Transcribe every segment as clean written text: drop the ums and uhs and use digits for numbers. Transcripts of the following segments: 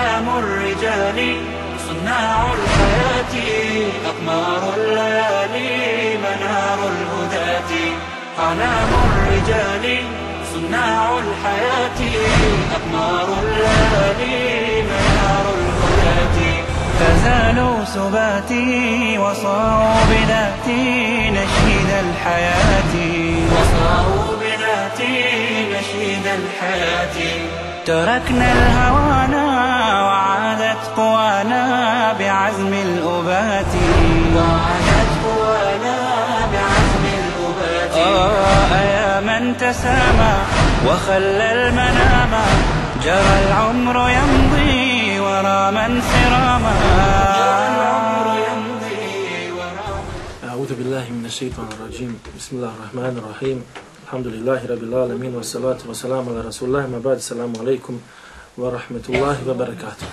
أعلام الرجال صناع الحياة أقمار الليالي منار الهداة أعلام الرجال صناع الحياة أقمار الليالي منار الهداة فزالوا سباتي وصاروا بذاتي نشيد الحياة وصاروا بذاتي نشيد الحياة تركنا الهوانا وعادت قوانا بعزم الأبات وعادت قوانا بعزم الأبات يا من تسامى وخلى المنام جرى العمر يمضي ورا من سراما أعوذ بالله من الشيطان الرجيم بسم الله الرحمن الرحيم الحمد لله رب العالمين والصلاة والسلام على رسول الله ما بعد السلام عليكم ورحمة الله وبركاته.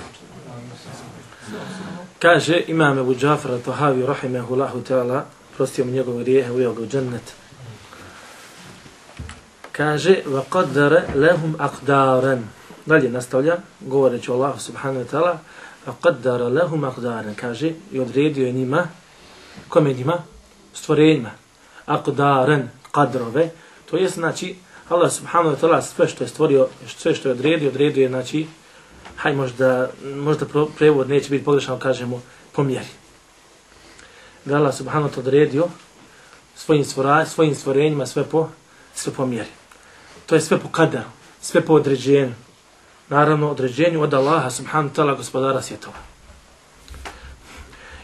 Kaže imam Ebu Džafar al-Tahavi rahimehullahu ta'ala, prostio mu njegove grijehe, uveo ga u džennet. Kaže وَقَدَّرَ لَهُمْ أَقْدَارًا. Dalje nastavlja, govoreći o Allahu subhanahu wa ta'ala, وَقَدَّرَ لَهُمْ أَقْدَارًا. Kaže i odredio je njima, kome njima? Stvorenjima. Aqdaran, kadrove. To je znači Allah subhanahu wa ta'ala sve što je stvorio, sve što je odredio je znači, haj možda prevod neće biti pogrešan, kažemo po mjeri. Da Allah subhanahu wa ta'ala odredio svojim stvorenjima sve po mjeri. To je sve po kadaru, sve po određenju. Naravno određenju od Allaha subhanahu wa ta'ala gospodara svjetova.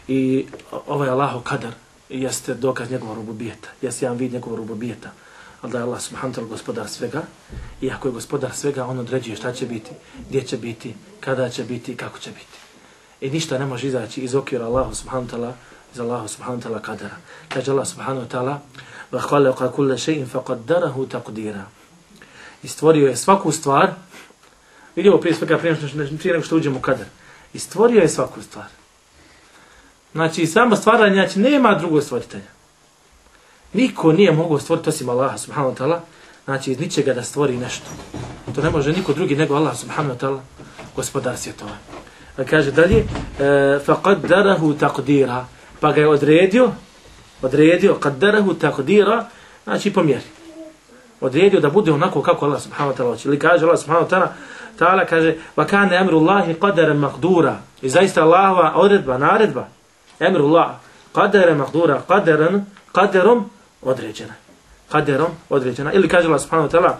I ovaj Allahov kadar jeste dokaz njegovog rububijeta, jeste jedan vid njegovog rububijeta. Ali da je Allah subhanahu wa ta'ala gospodar svega, i ako je gospodar svega, on određuje šta će biti, gdje će biti, kada će biti i kako će biti. I ništa ne može izaći iz okvira Allahu subhanahu wa ta'ala, iz Allahu subhanahu wa ta'ala kadara. Kaže Allah subhanahu wa ta'ala, وَخَلَقَ كُلَّ شَيْءٍ فَقَدَّرَهُ تَقْدِيرًا. I stvorio je svaku stvar, vidimo prije svega prije nego što uđemo u kadar. I stvorio je svaku stvar. Znači, samo stvaranje, znači, nema drugog stvoritelja. Niko nije mogao stvoriti osim Allaha subhanahu wa ta'ala, znači iz ničega da stvori nešto. To ne može niko drugi nego Allah subhanahu wa ta'ala, gospodar svjetova. Kaže dalje, فَقَدَّرَهُ تَقْدِيرًا. Pa ga je odredio, قَدَّرَهُ تَقْدِيرًا, znači po mjeri. Odredio da bude onako kako Allah subhanahu wa ta'ala hoće. Ili kaže Allah subhanahu wa ta'ala, kaže, وَكَانَ أَمْرُ اللَّهِ قَدَرًا مَقْدُورًا. I zaista Allahova odredba, naredba, أَمْرُ اللَّهِ قَدَرًا مَقْدُورًا, قَدَرom određena. Ili kaže Allah subhanahu wa ta'ala,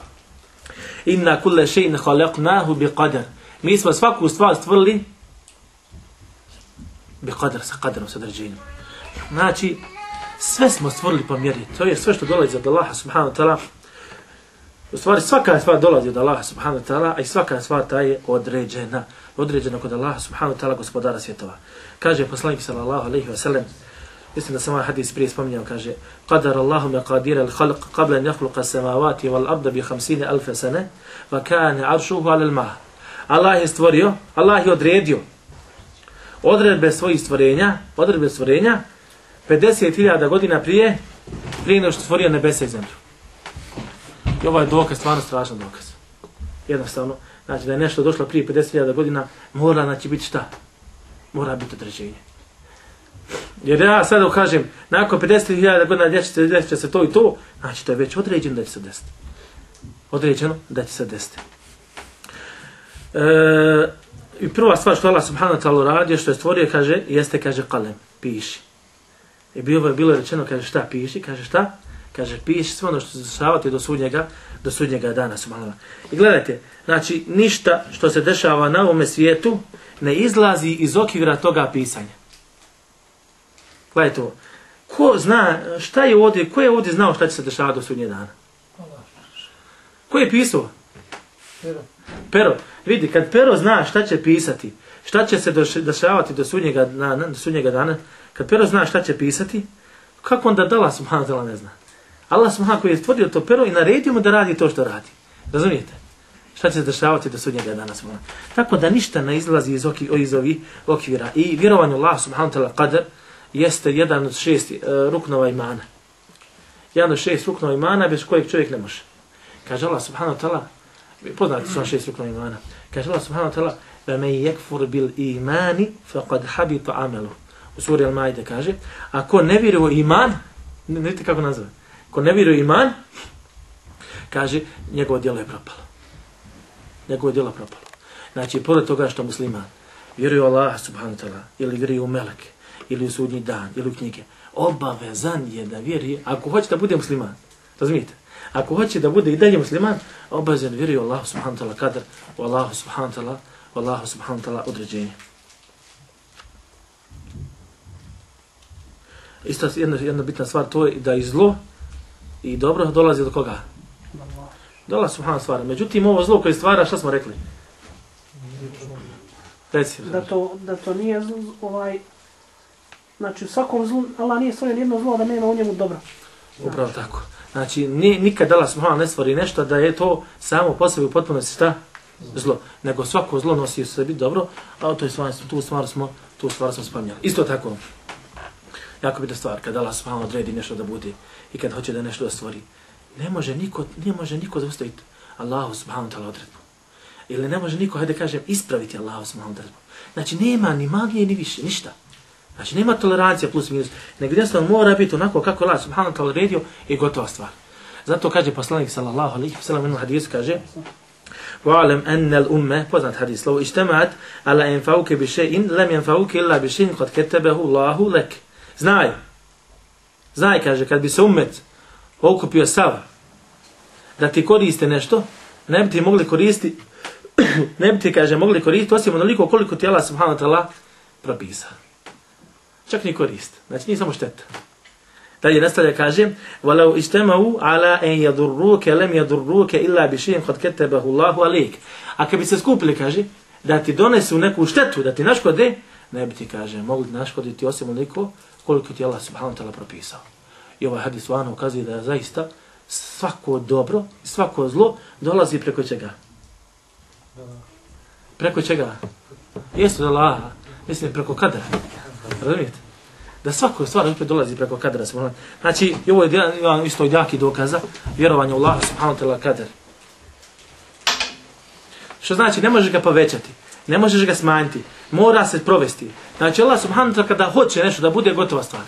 inna kulle še'in khalaqnahu bi qadar. Mi smo svaku stvar stvorili bi qadar, sa qadarom, sa određenjem. Znači, sve smo stvorili po mjeri. To je sve što dolazi od Allaha subhanahu wa ta'ala. U stvari, svaka stvar dolazi od Allaha subhanahu wa ta'ala, a i svaka stvar ta je određena. Određena kod Allaha subhanahu wa ta'ala, gospodara svjetova. Kaže poslanik sallallahu alejhi ve sellem, mislim da sam ovaj hadis prije spominjao, kaže قَدَرَ اللَّهُ مَقَادِيرَ الْخَلْقِ قَبْلَ أَنْ يَخْلُقَ السَّمَاوَاتِ وَالْأَرْضَ ب50,000 سَنَةٍ وَكَانَ عَرْشُهُ عَلَى الْمَاءِ. Allah je stvorio, Allah je odredio odredbe svojih stvorenja, 50.000 godina prije nego što stvorio nebesa i zemlju. I ovaj dokaz, stvarno strašan dokaz. Jednostavno, znači da je nešto došlo prije 50.000 godina, mora znači biti šta? Mora biti određenje. Jer ja sada kažem, nakon 50.000 godina desit će se to i to, znači to je već određeno da će se desiti. Određeno da će se desiti. I prva stvar što Allah subhanahu wa ta'ala radio, što je stvorio, kaže, jeste, kaže, kalem, piši. I bilo rečeno, kaže, šta piši, kaže, šta? Kaže, piši sve ono što se dešavati do sudnjega dana, subhanahu. I gledajte, znači, ništa što se dešava na ovome svijetu ne izlazi iz okvira toga pisanja. Gledajte ovo. Ko zna šta je ovdje, ko je ovdje znao šta će se dešavati do sudnjeg dana? Ko je pisao? Pero. Vidi, kad Pero zna šta će pisati, šta će se dešavati do sudnjega dana, kad Pero zna šta će pisati, kako onda da Allah subhanahu wa ta'ala ne zna? Allah subhanahu koji je stvorio to Pero i naredio mu da radi to što radi. Razumijete? Šta će se dešavati do sudnjega dana? Tako da ništa ne izlazi iz ovih okvira. I vjerovanju Allah subhanahu wa ta'ala qadar jeste jedan od 6 ruknova imana. Jedan od 6 ruknova imana bez kojeg čovjek ne može. Kaže Allah subhanahu wa ta'ala, poznati su 6 ruknova imana. Kaže Allah subhanahu wa ta'ala, وَمَنْ يَكْفُرْ بِالْإِيمَانِ فَقَدْ حَبِطَ عَمَلُهُ. U suri Al-Maide kaže, ako ne vjeruje u iman, ne vidite kako nazove, ako ne vjeruje u iman, kaže, njegovo djelo je propalo. Njegovo djelo je propalo. Znači, pored toga što musliman vjeruje u Allah subhanahu wa ta'ala, ili vjeruje u meleke, ili u sudnji dan, ili u knjige, obavezan je da vjeruje, ako hoće da bude musliman, razumijete? Ako hoće da bude i dalje musliman, obavezan vjeruje u Allah subhanahu wa ta'ala kadar, u Allah subhanahu wa ta'ala, u Allah subhanahu wa ta'ala određenje. Isto jedna bitna stvar, to je da i zlo i dobro dolazi do koga? Dolazi subhanahu stvar. Međutim, ovo zlo koje stvara, šta smo rekli? Reci. Da to nije znači u svakom zlu, Allah nije stvorio jedno zlo, da nema u njemu dobro. Upravo tako. Znači, nikad Allah subhanahu ne stvori nešto da je to samo po sebi u potpunosti šta? Zlo. Nego svako zlo nosi u sebi dobro, a tu stvar smo spominjali. Isto tako. Jako bitna stvar, kada Allah subhanahu odredi nešto da bude i kad hoće da nešto da stvori. Ne može niko zaustaviti Allahu subhanahu ta'ala odredbu. Ili ne može niko, hajde kažem, ispraviti Allahu subhanahu odredbu. Znači nema ni magije ni više, ništa. Znači nema tolerancija plus minus. Nego jednostavno mora biti onako kako Allah subhanahu ta'ala odredio i gotova stvar. Zato kaže poslanik sallallahu alejhi ve sellem u hadisu kaže: "Wa'lam anna al-umma", poznat hadis, "law ijtama'at ala yanfa'uka bi shay'in lam yanfa'uka illa bi shay'in qad katabahu Allahu lak." Znaj, kaže, kad bi se ummet okupio sav da ti koriste nešto, ne bi ti mogli koristiti, mogli koristiti osim onoliko koliko ti Allah subhanahu wa ta'ala propisao. Čak ni korist, znači nije samo šteta. Dalje nastavlja kaže: "Walau ijtama'u ala an yadurruka lam yadurruka illa bi shay'in qad katabahu Allahu alayk." A kad bi se skupili, kaže, da ti donesu neku štetu, da ti naškode, ne bi ti, kaže, mogli naškoditi osim onoliko koliko ti Allah subhanahu wa ta'ala propisao. I ovaj hadis vano ukazuje da zaista svako dobro i svako zlo dolazi preko čega? Preko čega? Jesu da Allaha, mislim preko kadra. Razumijete? Da svako stvar opet dolazi preko kadra. Znači, ovo je isto jaki dokaza vjerovanja u Allaha subhanahu wa ta'ala kadar. Što znači, ne možeš ga povećati, ne možeš ga smanjiti, mora se provesti. Znači, Allah subhanahu wa ta'ala kada hoće nešto da bude gotova stvar,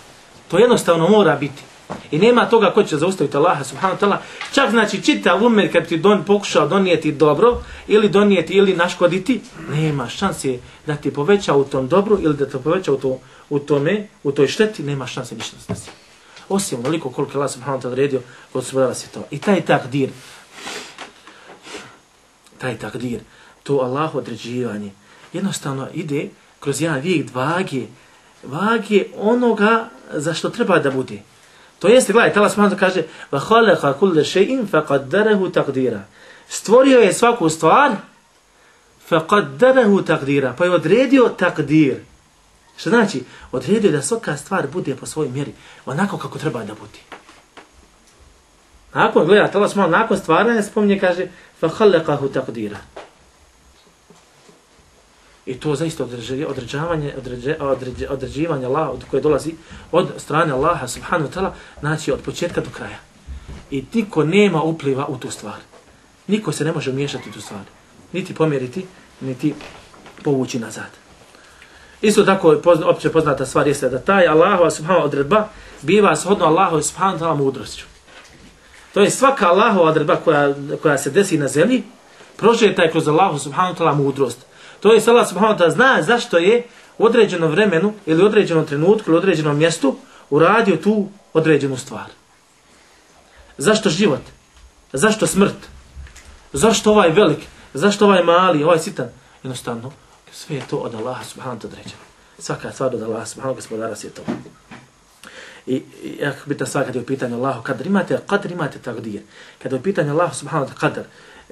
to jednostavno mora biti. I nema toga ko će zaustaviti Allaha subhanahu wa ta'ala. Čak znači čitav umet kad ti pokušao donijeti dobro ili donijeti ili naškoditi, nema šanse da ti poveća u tom dobru ili da te poveća u toj šteti, nema šanse ništa da se. Osim onoliko koliko Allah subhanahu wa ta'ala redio gospodara svjetova. I taj takdir, to Allahu određivanje, jednostavno ide kroz jedan vijek vage onoga za što treba da bude. To jeste, gledajte, Allah subhanahu kaže: "Wa khalaqa kulla shay'in faqaddarahu taqdira." Stvorio je svaku stvar, faqaddarahu taqdira, pa je odredio takdir. Što znači? Odredio da svaka stvar bude po svojoj mjeri, onako kako treba da bude. Gledajte, Allah subhanahu nakon stvaranja spominje, kaže: "Fa khalaqahu taqdira." I to zaista određivanje Allaha koje dolazi od strane Allaha subhanahu wa ta'ala, znači od početka do kraja. I niko nema upliva u tu stvar. Niko se ne može umiješati u tu stvar. Niti pomjeriti, niti povući nazad. Isto tako opće poznata stvar jeste da taj Allahova subhanahu odredba biva shodno Allahova subhanahu wa ta'ala mudrošću. To je svaka Allahova odredba koja se desi na zemlji, prožeta je kroz Allahova subhanahu wa ta'ala mudrost. To je Allah subhanahu wa ta'ala zna zašto je u određenom vremenu ili određenom trenutku ili određenom mjestu uradio tu određenu stvar. Zašto život? Zašto smrt? Zašto ovaj velik? Zašto ovaj mali, ovaj sitan? Jednostavno, sve je to od Allaha subhanahu wa ta'ala određeno. Svaka stvar od Allaha subhanahu gospodara svjetova. I jako bitna stvar kada je u pitanju Allahu kadar, imate takdir. Kada je u pitanju Allahu subhanahu wa ta'ala kadar,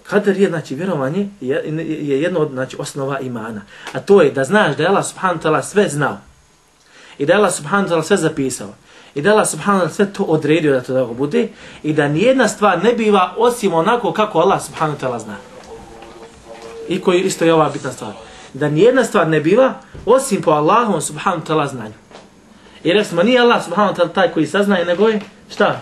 kadar je, znači, vjerovanje je jedno od, znači, osnova imana. A to je da znaš da je Allah subhanahu wa ta'ala sve znao. I da je Allah subhanahu wa ta'ala sve zapisao. I da je Allah subhanahu wa ta'ala sve to odredio da to tako bude. I da nijedna stvar ne biva osim onako kako Allah subhanahu wa ta'ala zna. I koji isto je ova bitna stvar. Da nijedna stvar ne biva osim po Allahom subhanahu wa ta'ala znanju. I recimo, nije Allah subhanahu wa ta'ala taj koji saznaje, nego je šta?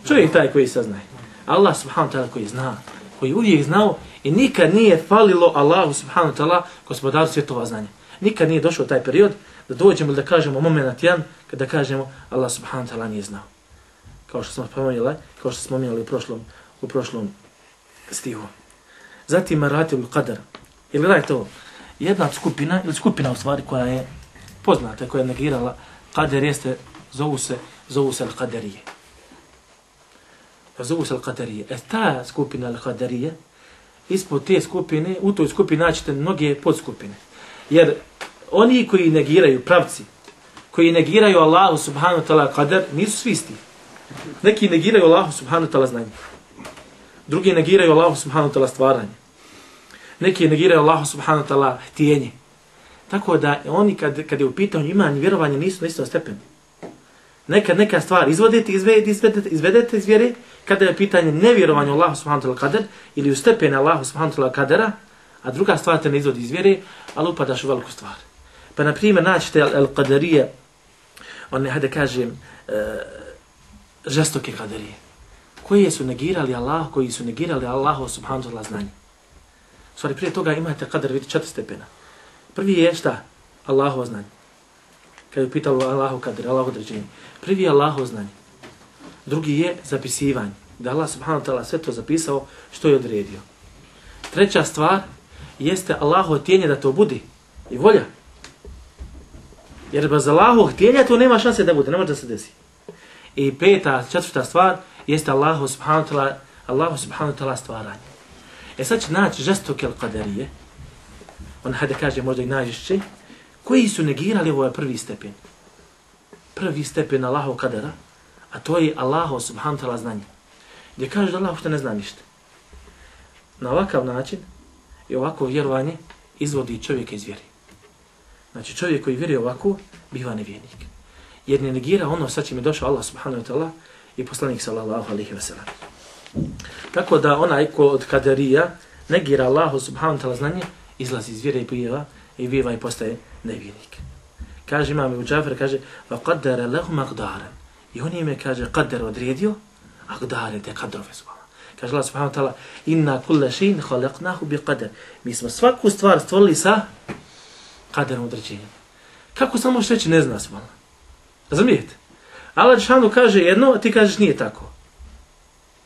Čovjek taj koji saznaje. Allah subhanahu wa ta'ala koji zna, koji uvijek znao I nikad nije falilo Allahu subhanahu wa ta'ala gospodaru svjetova znanja. Nikad nije došao taj period da dođemo da kažemo moment jedan kada kažemo Allah subhanahu wa ta'ala nije znao. Kao što smo spomenuli u prošlom stihu. Zatim maratibul qadar. Ili gledajte ovo, jedna skupina, ili skupina u stvari koja je poznata, koja je negirala qadar jeste, zovu se al-qadarije. Zovu se al-qadarije. Ta skupina al-qadarije, ispod te skupine, u toj skupini naćete mnoge podskupine. Jer oni koji negiraju, pravci, koji negiraju Allahu subhanahu wa ta'ala qadar, nisu svi isti. Neki negiraju Allahu subhanahu wa ta'ala znanje. Drugi negiraju Allahu subhanahu wa ta'ala stvaranje. Neki negiraju Allahu subhanahu wa ta'ala htjenje. Tako da oni kad je u pitanju imanje i vjerovanje nisu na istom stepenu. Nekad neka stvar izvedete iz vjere, kada je pitanje nevjerovanja Allahu subhanahu wa ta'ala qadar ili u stepene Allahu subhanahu wa ta'ala qadara, a druga stvar te ne izvodi iz vjere, ali upadaš u veliku stvar. Pa na primjer naćete al-qadarije, one, hajde kažem, žestoke qadarije, koji su negirali Allahu subhanahu wa ta'ala znanje. U stvari prije toga imate qadar, vidite 4 stepena. Prvi je šta? Allahovo znanje. Kad je pitalo Allahu qadar, Allahu određenje. Prvi je Allahovo znanje. Drugi je zapisivanje. Da Allah subhanahu wa ta'ala sve to zapisao što je odredio. Treća stvar jeste Allahovo htjenje da to bude i volja. Jer bez Allahovog htjenja to nema šanse da bude, ne može da se desi. I četvrta stvar jeste Allahu subhanahu wa ta'ala stvaranje. Sad će naći žestoke al-qadarije, on hajde kaže možda i najžešće, koji su negirali ovaj prvi stepen. Prvi stepen Allahov qadara, a to je Allahu subhanahu wa ta'ala znanje. Gdje kaže da Allah što ne zna ništa. Na ovakav način i ovako vjerovanje izvodi čovjeka iz vjeri. Znači čovjek koji vjeruje ovako, biva nevjernik. Jer ne negira ono sa čim je došao Allah subhanahu wa ta'ala i poslanik sallallahu alaihi wa sallam. Tako da onaj ko od kaderija negira Allahu subhanahu wa ta'ala znanje, izlazi iz vjere i biva i postaje nevjernik. Kaže imam Ebu Džafer, kaže وَقَدَّرَ لَهُمْ أَقْدَارًا. I on im je, kaže, qadar odredio, aqdare te kadrove su. Kaže Allah subhanahu wa ta'ala inna kulla shay'in khalaqnahu bi qadar. Mi smo svaku stvar stvorili sa qadarom određenjem. Kako samo možeš reći ne zna se malo? Razumijete? Allah džšanu kaže jedno, a ti kažeš nije tako.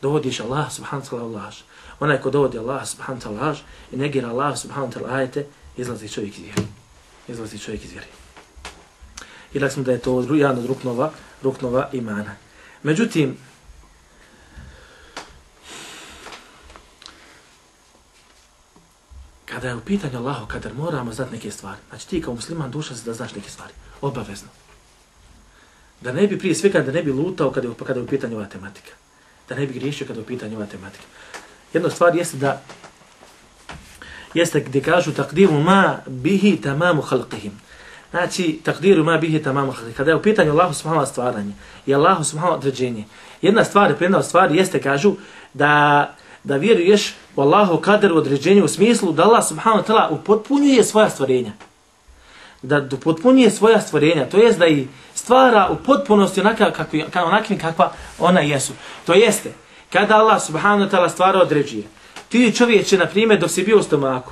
Dovodiš Allah subhanahu wa ta'ala laž. Onaj ko dovodi Allah subhanahu wa ta'ala laž i negira Allah subhanahu wa ta'ala ajete, izlazi čovjek iz vjere. I rekli smo da je to jedan od ruknova imana. Međutim, kada je u pitanju Allahu kadar, moramo znati neke stvari. Znači ti kao musliman duša se da znaš neke stvari. Obavezno. Da ne bi prije svega, da ne bi lutao kada je u pitanju ova tematika. Da ne bi griješio kada je u pitanju ova tematika. Jedna stvar jeste gdje kažu takdiru ma bihi tamamu halqihim. Znači, takdiru ma bihi tamamu halqihim. Kada je u pitanju Allahu subhanahu wa stvaranje i Allahu subhanahu wa određenje. Jedna stvar jeste, kažu, da vjeruješ u Allahu kadar određenju u smislu da Allah subhanahu wa ta'ala upotpunjuje svoja stvorenja. Da upotpunjuje svoja stvorenja, to jest da i stvara u potpunosti onakvim kakva ona jesu. To jeste, kada Allah subhanahu wa ta'ala stvara određuje, ti čovječe, na primjer, dok si bio u stomaku,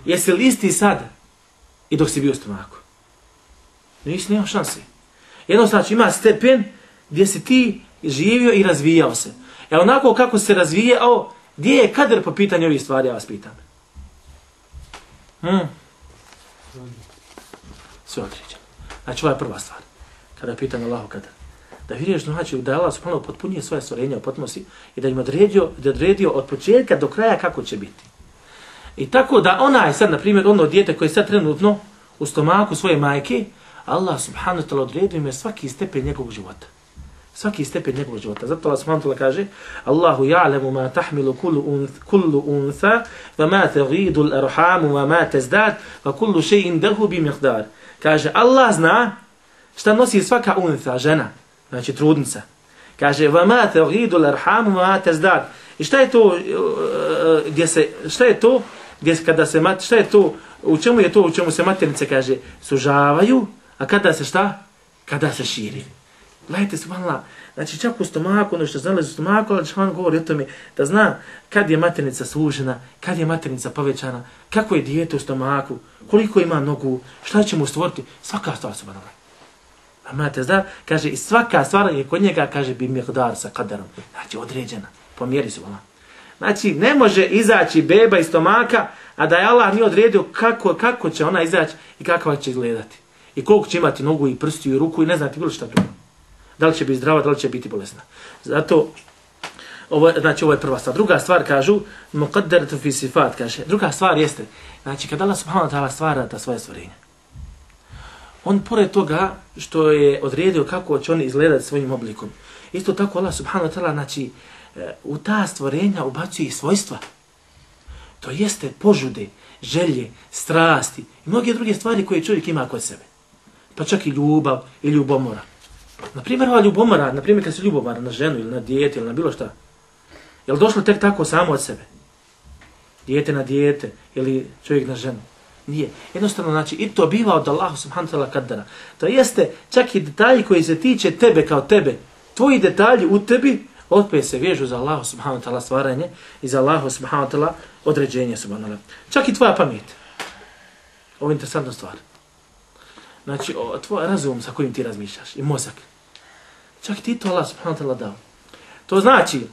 jesi li isti sad i dok si bio u stomaku? Nema šanse. Jednostavno, ima stepen gdje si ti živio i razvijao se. Onako kako se razvijao, gdje je kadar po pitanju ovih stvari, ja vas pitam. Sve određeno. Znači, ovo je prva stvar. Kada je pitanje Allahu kadar. Da vidiš, znači, da je Allah subhanahu potpunije svoje stvorenja u potpunosti i da im odredio od početka do kraja kako će biti. I tako da ona je sad, na primjer, ono dijete koje je sad trenutno u stomaku svoje majke, Allah subhanahu wa ta'ala odredio im je svaki stepen njegovog života. Svaki stepen njegovog života. Zato Allah subhanahu wa ta'ala kaže Allahu ja'lemu ma tahmilu kullu untha wa ma taghidu al-arhamu wa ma tazdad wa kullu shay'in dahu bi miqdar. Kaže Allah zna šta nosi svaka untha, žena, znači trudnica. Kaže wa ma taghidu al-arhamu wa ma tazdad. I šta je to u čemu se maternice, kaže, sužavaju, a kada se šta? Kada se širi. Gledajte, subhanallah, Znači čak u stomaku, ono što zalazi u stomaku, Allah dželle govori o tome da zna kad je maternica sužena, kad je maternica povećana, kako je dijete u stomaku, koliko ima nogu, šta će mu stvoriti, svaka stvar subhanallah. A imate zna, kaže i svaka stvar je kod njega, kaže bi miqdar sa kadarom, znači određena, po mjeri subhanallah. Znači ne može izaći beba iz stomaka, a da je Allah nije odredio kako će ona izaći i kakva će izgledati. I koliko će imati nogu i prstiju i ruku i ne znate bilo šta drugo. Da li će biti zdrava, da li će biti bolesna. Zato, ovo je prva stvar. Druga stvar, kažu, muqaddaratu fi sifat, kaže. Druga stvar jeste, znači, kada Allah subhanahu wa ta'ala stvara ta svoje stvorenja, on pored toga što je odredio kako će oni izgledati svojim oblikom, isto tako Allah subhanahu wa ta'ala, znači, u ta stvorenja ubacuje i svojstva. To jeste požude, želje, strasti i mnoge druge stvari koje čovjek ima kod sebe. Pa čak i ljubav i ljubomora. Naprimjer, ova ljubomora, naprimjer kad se ljubomara na ženu ili na dijete ili na bilo šta, je li došlo tek tako samo od sebe? Dijete na dijete ili čovjek na ženu? Nije. Jednostavno, znači, i to biva od Allaha subhanahu wa ta'ala kadara. To jeste čak i detalji koji se tiče tebe kao tebe. Tvoji detalji u tebi opet se vežu za Allaha subhanahu wa ta'ala stvaranje i za Allaha subhanahu wa ta'ala određenje subhanahu wa ta'ala. Čak i tvoja pamet. Ovo je interesantna stvar. Znači, tvoj razum sa kojim ti razmišljaš i mozak. Čak ti to Allah subhanahu wa ta'ala dao. To znači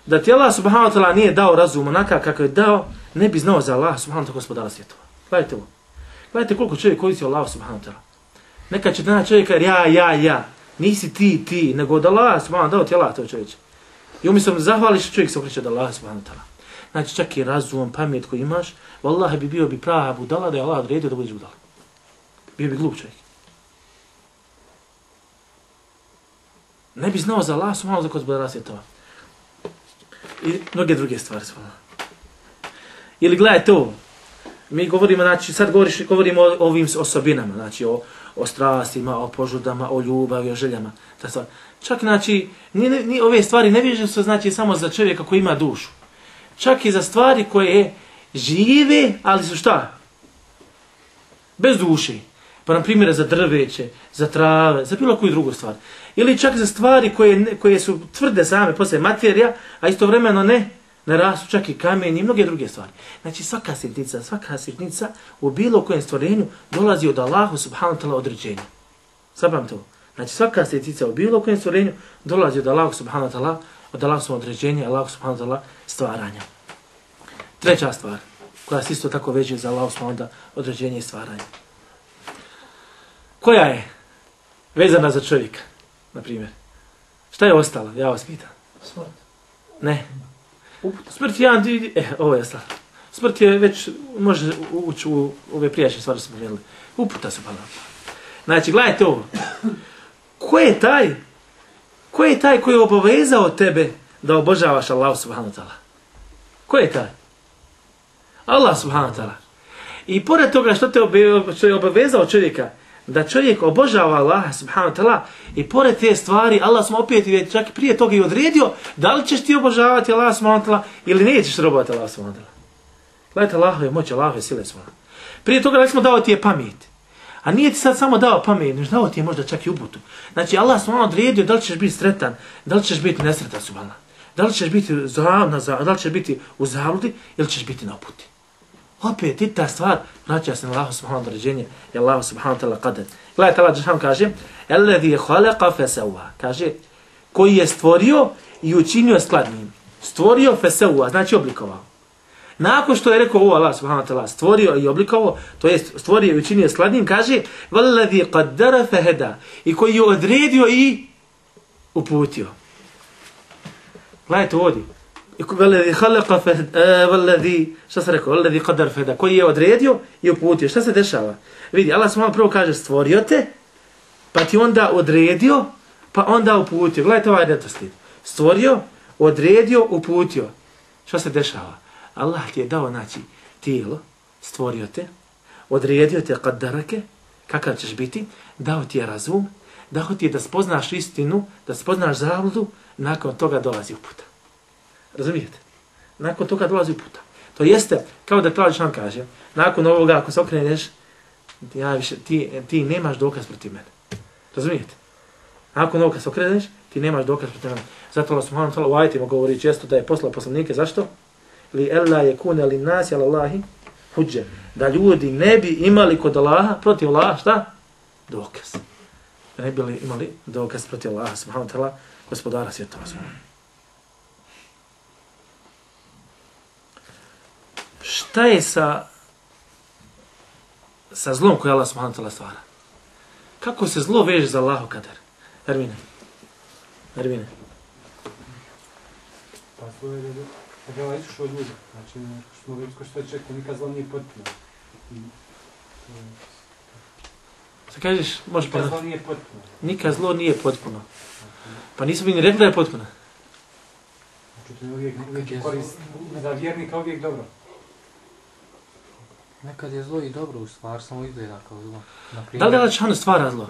da ti Allah subhanahu wa ta'ala nije dao razum onaka kako je dao, ne bi znao za Allah subhanahu wa ta'ala gospodara svjetova. Gledajte ovo. Gledajte koliko čovjek koristi Allah subhanahu wa ta'ala. Nekad će dana čovjeka ja. Nisi ti, nego od Allah subhanahu wa ta'ala dao ti Allah to čovječe. I umjesto zahvališ, čovjek se okreće od Allah subhanahu wa ta'ala. Znači čak i razum, pamet koji imaš, vallahi bi bio prava budala da je Allah odredio da budeš budala. Bio bi glup čovjek. Ne bi znao za Allah subhanahu wa ta'ala gospodara svjetova. I mnoge druge stvari subhanahu. Ili gledajte ovo. Mi govorimo, znači sad govorimo o ovim osobinama, znači o strastima, o požudama, o ljubavi, o željama. Čak znači, ni ove stvari ne vežu se znači samo za čovjeka koji ima dušu. Čak i za stvari koje žive, ali su šta? Bez duše. Pa na primjer za drveće, za trave, za bilo koju drugu stvar. Ili čak za stvari koje su tvrde same posle materija, a istovremeno ne rastu, čak i kamen i mnoge druge stvari. Znači svaka sitnica u bilo kojem stvorenju dolazi od Allahu subhanahu wa ta'ala određenja. Zapam to. Znači svaka sitnica u bilo kojem stvorenju dolazi od Allahu subhanahu wa ta'ala, od Allahu određenja, Allahu subhanahu wa ta'ala stvaranja. Treća stvar, koja se isto tako veže za Allahu subhanahu wa ta'ala određenje i stvaranje. Koja je vezana za čovjeka, na primjer? Šta je ostalo? Ja vas pitam. Smrt. Ne. Smrt je jedan, ovo je stvar. Smrt je već, može ući u ove prijašnje stvari smo gledali. Uputa se pa. Znači, gledajte ovo. Ko je taj koji je obavezao tebe da obožavaš Allah subhanahu wa ta'ala? Ko je taj? Allah subhanahu wa ta'ala. I pored toga što je obavezao čovjeka, da čovjek obožava Allaha subhanahu wa ta'ala i pored te stvari Allah smo opet čak prije toga i odredio da li ćeš ti obožavati Allaha subhanahu wa ta'ala ili nećeš robovati Allaha subhanahu wa ta'ala. Gledajte Allahove moći, Allahove sile subhanahu. Prije toga smo dao ti je pamet. A nije ti sad samo dao pamet, nego dao ti je možda čak i uputu. Znači Allah subhanahu odredio da li ćeš biti sretan, da li ćeš biti nesretan subhanahu. Da li ćeš biti da li ćeš biti u zabludi ili ćeš biti na uputi. Opet i ta stvar vraća se na Allahu subhanahu određenje i Allahu subhanahu ta'ala qadar. Gledajte Allah dželle kaže: "Alladhi khalaqa fasawwa." Kaže koji je stvorio i učinio skladnim. Stvorio fasawwa, znači oblikovao. Nakon što je rekao ovo Allah subhanahu ta'ala stvorio i oblikovao, to jest stvorio i učinio skladnim, kaže: "Walladhi qaddara fahada." I koji je odredio i uputio. Gledajte ovdje. Walladhi khalaqa walladhi šta se rekao walladhi qaddara fahada koji je odredio i uputio. Šta se dešava? Vidi, Allah subhanahu prvo kaže stvorio te, pa ti onda odredio, pa onda uputio. Gledajte ovaj redoslijed. Stvorio, odredio, uputio. Šta se dešava? Allah ti je dao znači tijelo, stvorio te, odredio te qaddarake, kakav ćeš biti, dao ti je razum, dao ti je da spoznaš istinu, da spoznaš zabludu, nakon toga dolazi uputa. Razumijete? Nakon toga dolazi uputa. To jeste, kao da Kralj Šan kaže, nakon ovoga, ako se okreneš, ti nemaš dokaz protiv mene. Razumijete? Ako na ovo kad se okreneš, ti nemaš dokaz protiv njega. Zato Allah subhanahu wa ta'ala u ajetima govori često da je poslao poslanike. Zašto? Li ella yakuna lin nasi ala Allahi hudže. Da ljudi ne bi imali kod Allaha, protiv Allaha, šta? Dokaz. Da ne bi imali dokaz protiv Allaha subhanahu wa ta'ala, gospodara svjetova. Šta je sa zlom koje Allah subhanahu wa ta'ala stvara? Kako se zlo veže za Allahu kader? Ermine. Pa to je da je išao od ljudi. Znači, smo vidjeli što je čekao, nikad zlo nije potpuno. Šta kažeš? Možeš nikad zlo nije potpuno. Nikad zlo nije potpuno. Pa nismo bi ni rekli da je potpuno. Znači, to je uvijek je korist. Za vjernika uvijek dobro. Nekad je zlo i dobro u stvar, samo izgleda kao zlo. Da li Allah Đelešanu stvara zlo?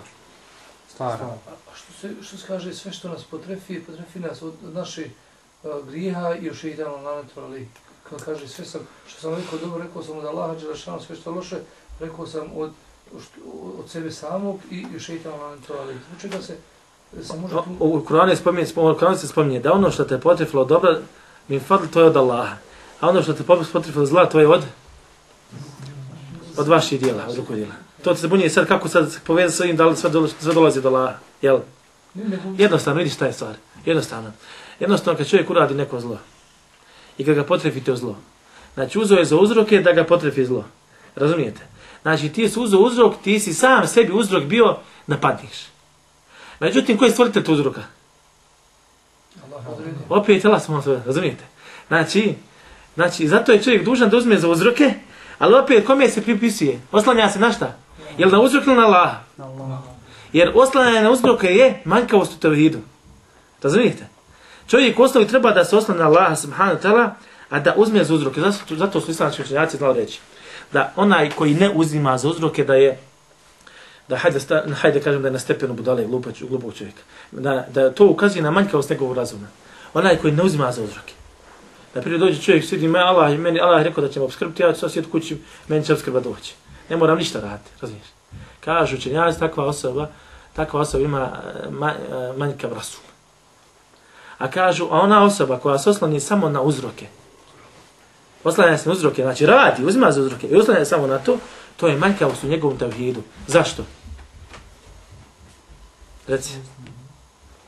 Stvara. A što se kaže, sve što nas potrefi nas od naše grijeha i još šeitanu nametno, ali kad kaže sve što sam rekao dobro, rekao sam od Allaha Đelešanu, sve što loše, rekao sam od sebe samog i još šeitanu nametno, ali zbog čega se može tu... U Kur'anu se spominje da ono što te potrefilo dobro, min fadl, to je od Allaha. A ono što te potrefilo zla, to je od vaših dijela, od ruku dijela. To se bunje sad kako sad povezati s ovim, da li sve dolazi do Allaha, jel? Jednostavno, vidiš šta je stvar. Jednostavno kad čovjek uradi neko zlo i kad ga potrefite u zlo, znači uzeo je za uzroke da ga potrefi zlo. Razumijete? Znači ti si uzeo uzrok, ti si sam sebi uzrok bio napadniš. Međutim, koji je stvoritelj tu uzroka? Opet Allah smo sve, razumijete? Znači, zato je čovjek dužan da uzme za uzroke, ali opet kome se pripisuje? Oslanja se na šta? Jel na uzrok ili na Allaha? Jer oslanjanje na uzroke je manjkavost u tevhidu. Razumijete? Čovjek u osnovi treba da se oslanja na Allaha subhanahu wa ta'ala, a da uzme za uzroke. Zato su islamski učenjaci znali reći da onaj koji ne uzima za uzroke da hajde kažem da je na stepenu budale glupog čovjeka. Da to ukazuje na manjkavost njegovog razuma. Onaj koji ne uzima za uzroke. Da prije dođe čovjek sidi Allah je rekao da će me obskrbiti, ja ću sad sjeti kući, meni će obskrba doći. Ne moram ništa raditi, razumiješ? Kažu učenjaci, takva osoba ima manjkav razum. A kažu, a ona osoba koja se osloni samo na uzroke, oslanja se na uzroke, znači radi, uzima za uzroke i oslanja samo na to je manjkavost u njegovom tevhidu. Zašto? Reci.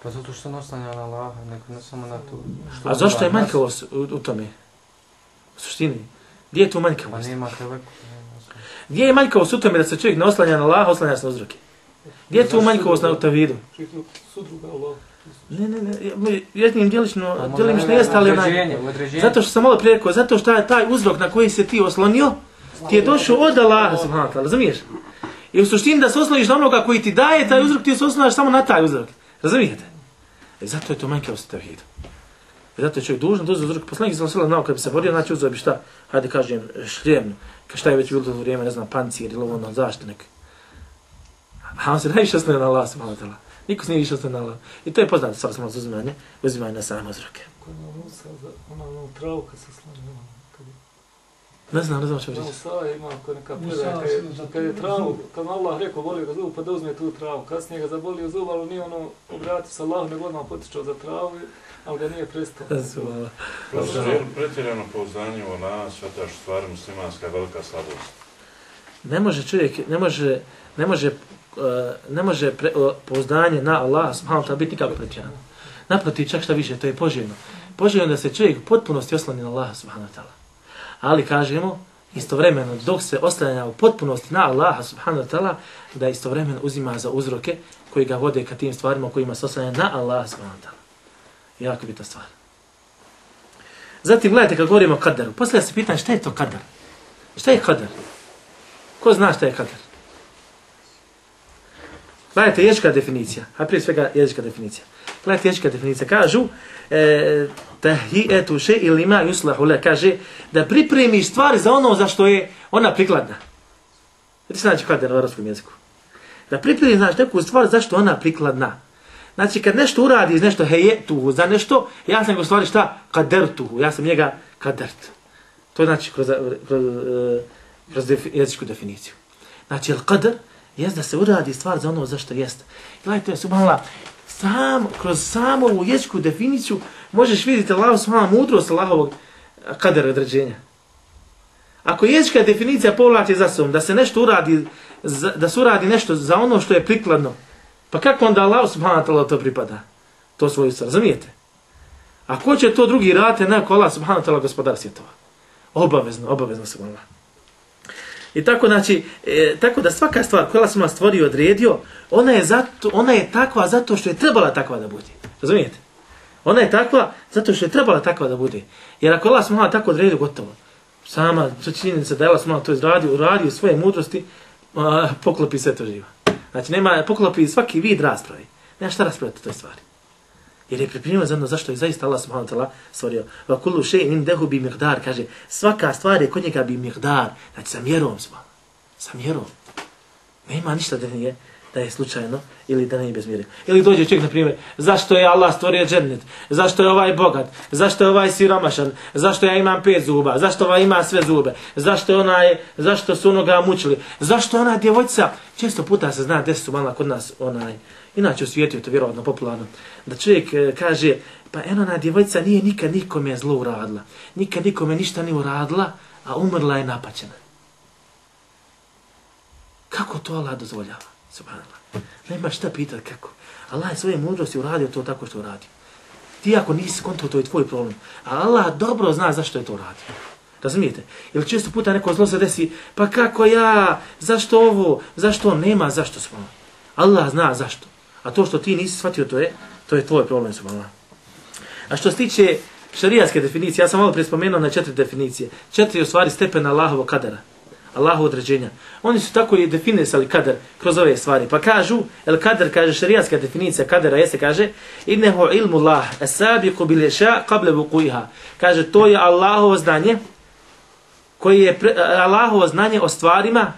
Pa zato što ne oslanja na Allaha, nego ne samo na to. A zašto je manjkavost u tome? U suštini. Gdje je tu manjkavost? Pa nema teleku. Gdje je manjkavost u tome da se čovjek ne oslanja na Allaha, oslanja se na uzroke? Gdje je tu manjkavost na tevhidu? Ne, jednim djelično jeste, ali zato što sam malo prije rekao, zato što je taj uzrok na koji se ti oslonio, ti je došao od Allaha, subhanahu wa ta'ala, razumiješ? I u suštini da se osloniš na onoga koji ti daje taj uzrok, ti se osloniš samo na taj uzrok. Razumijete? Zato je to manjkavost u tevhidu. Zato je čovjek dužan da uzme uzrok. Poslanik sallallahu alejhi ve sellem kad bi se borio, znači uzeo bi šta? Hajde kažem šljem, šta je već bilo to vrijeme, ne znam, pancir ili ono zašto nek. A on se najviše oslonio na Allaha, subhanahu wa ta'ala. Niko se nije više oslonio na Allaha. I to je poznato stvar samo uzimanje na same uzroke. Ona travu kad se slanja. Ne znam što reći. Musa ima neka predaja, kad je travu, kad Allah rekao volio ga zub, pa da uzme tu travu. Kasnije ga zabolio zub, ali nije ono obratio se Allahu, nego odmah potičao za travu, ali ga nije prestao. Pretjerano pouzdanje u Allah, sveta što stvar muslimanska je velika slabost. Ne može čovjek, ne može pouzdanje na Allah subhanahu wa ta'ala biti nikako pretjerano. Naprotiv, čak šta više, to je poželjno. Poželjno da se čovjek u potpunosti osloni na Allah subhanahu wa ta'ala. Ali kažemo, istovremeno, dok se oslanja u potpunosti na Allaha subhanahu wa ta'ala, da istovremeno uzima za uzroke koji ga vode ka tim stvarima kojima se oslanja na Allaha subhanahu wa ta'ala. Jako bitna stvar. Zatim, gledajte, kad govorimo o kaderu, poslije se pitan šta je to kader? Šta je kader? Ko zna šta je kader? Gledajte, jezička definicija, a prije svega jezička definicija. Gledajte, jezička definicija, kažu, tahijatu še ili ma yuslahu le, kaže da pripremiš stvari za ono za što je ona prikladna. Vidite se znači kader u arapskom jeziku. Da pripremiš znači neku stvar za što ona prikladna. Znači kad nešto uradiš nešto hejetuhu za nešto, ja sam ga u stvari šta? Kadertuhu, ja sam njega kadert. To je znači kroz jezičku definiciju. Znači el kader jest da se uradi stvar za ono za što jest. Gledajte, subhanallah, kroz samu ovu jezičku definiciju možeš vidjeti Allahu subhanahu mudrost Allahovog kadera određenja. Ako jezička definicija povlači za sobom da se nešto uradi, da se uradi nešto za ono što je prikladno, pa kako onda Allahu subhanahu ta'ala to pripada? To svoju stvar, razumijete? A ko će to drugi raditi neko Allah subhanahu ta'ala gospodar svjetova? Obavezno se Allah. I tako, znači, tako da svaka stvar koju Allah subhanahu stvorio i odredio, ona je takva zato što je trebala takva da bude. Razumijete? Ona je takva zato što je trebala takva da bude. Jer ako Allah subhanahu tako odredio, gotovo. Sama činjenica da je Allah subhanahu to uradio svoje mudrosti, poklopi sve to živa. Znači, poklopi svaki vid raspravi. Nema šta raspraviti o toj stvari. Jer je pripremio za ono zašto je zaista Allah subhanahu ta'ala stvorio. Va kullu shay'in indahu bi miqdar, kaže, svaka stvar je kod njega bi miqdar, znači sa mjerom smo. Sa mjerom. Nema ništa da je slučajno ili da nije bez mjere. Ili dođe čovjek, na primjer, zašto je Allah stvorio džennet? Zašto je ovaj bogat? Zašto je ovaj siromašan? Zašto ja imam 5 zuba? Zašto ovaj ima sve zube? Zašto su onoga mučili? Zašto ona djevojčica? Često puta se zna desiti malo kod nas inače u svijetu je to vjerovatno popularno, da čovjek kaže, pa ona djevojčica nije nikad nikome zlo uradila, nikad nikome ništa nije uradila, a umrla je napaćena. Kako to Allah dozvoljava? Subhanallah. Nema šta pitati kako. Allah je svoje mudrosti uradio to tako što uradio. Ti ako nisi konto, to je tvoj problem. A Allah dobro zna zašto je to uradio. Razumijete? Jer često puta neko zlo se desi, pa kako ja, zašto ovo, zašto nema, zašto smo. Allah zna zašto. A to što ti nisi shvatio, to je tvoj problem, subhanallah. A što se tiče šarijatske definicije, ja sam malo prije spomenuo na 4 definicije. 4 u stvari stepena Allahovog kadera. Allahu određenja. Oni su tako i definisali kader kroz ove stvari. Pa kažu, el kader, kaže šarijatska definicija kadera, jeste, kaže, innehu ilmu Allah, esabiku bil ješa, kable vukuiha. Kaže, to je Allahovo znanje, Allahovo znanje o stvarima,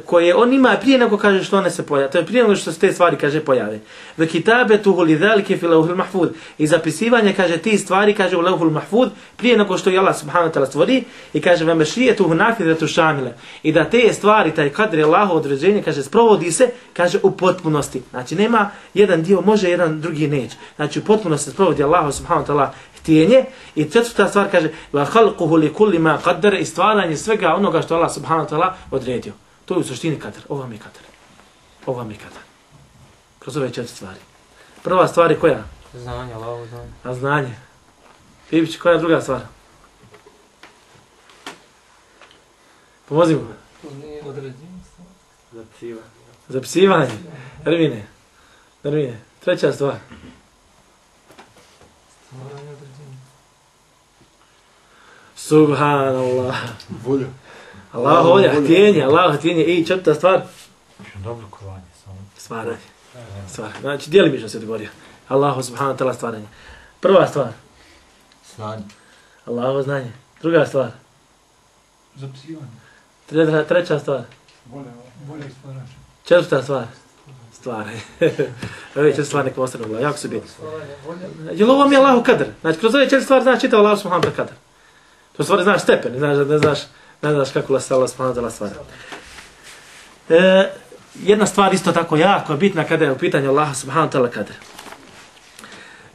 koje on ima prije nego kaže što one se pojave. To je prije nego što se te stvari, kaže, pojave. Ve kitabetuhu lidhalike fi lawhil mahfuz. I zapisivanje, kaže, ti stvari, kaže, u lawhul mahfuz, prije nego što je Allah subhanahu wa ta'ala stvori, i kaže, ve mešijetuhu nafidatu šamile. I da te stvari, taj kadri Allahovo određenje, kaže, sprovodi se, kaže, u potpunosti. Znači, nema jedan dio može, jedan drugi neće. Znači, u potpunosti se sprovodi Allah subhanahu wa ta'ala htjenje. I četvrta stvar kaže wa khalquhu li kulli ma qaddara, i stvaranje svega onoga što Allah subhanahu wa ta'ala odredio. To je u suštini kadar. Ovo mi kadar. Ovo mi kadar. Kroz ove 4 stvari. Prva stvar je koja? Znanje, Allahovo znanje. A znanje. Bibić, koja je druga stvar? Pomozimo. Zapisivanje. Ermine. Treća stvar. Subhanallah. Volja. Allah volja, htjenje. I četvrta stvar? Oblikovanje. Stvaranje. Znači, djelimično se odgovorio. Allahu subhanahu ta'ala stvaranje. Prva stvar? Znanje. Allahovo znanje. Druga stvar? Zapisivanje. Treća stvar? Volja i stvaranje. Četvrta stvar? Stvaranje. Ove 4 stvari neko ostane u glavu. Jako su biti. Jer ovo mi je Allahu kadar. Znači, kroz ove 4 stvari znaš čitao Allahu subhanahu ta'ala kadar. To stvari znaš stepen, ne znaš kako Allah subhanahu ta'ala stvara. Jedna stvar isto tako jako bitna kada je u pitanju Allah subhanahu ta'ala kadar.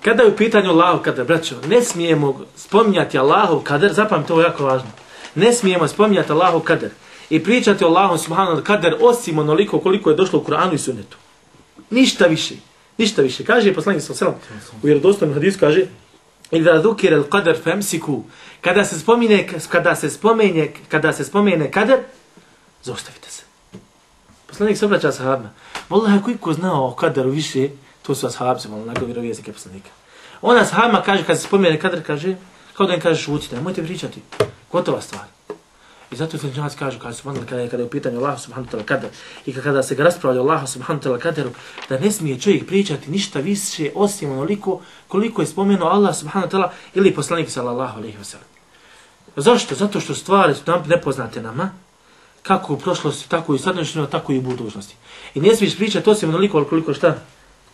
Kada je u pitanju Allahu kadar, braćo, ne smijemo spominjati Allahu kadar, zapamtite, ovo je jako važno. Ne smijemo spominjati Allahu kadar i pričati o Allahu subhanahu ta'ala kadar osim onoliko koliko je došlo u Kur'anu i sunnetu. Ništa više. Kaže poslanik sallallahu alejhi ve sellem u vjerodostojnom hadisu, kaže: "Idha dhukira al-qadar famsiku." Kada se spomene kadar, zaustavite se. Poslanik se obraća sahabima. Wallahi, ko znao o kadaru više, to su ashabi, onako vjerovjesnike poslanika. Ona sahabima kaže, kad se spomene kadar, kaže, kao da im kaže, šutite, nemojte pričati. Gotova stvar. I zato se učenjaci kažu, kada je u pitanju Allah subhanahu ta'ala kadar, i kada se ga raspravlja Allah subhanahu ta'ala kadaru, da ne smije čovjek pričati ništa više osim onoliko koliko je spomenuo Allah subhanahu ta'ala ili poslanik sallallahu alejhi ve sellem. Zašto? Zato što stvari su nam nepoznate nama, kako u prošlosti, tako i u sadašnjosti, tako i u budućnosti. I ne smiješ pričati osim onoliko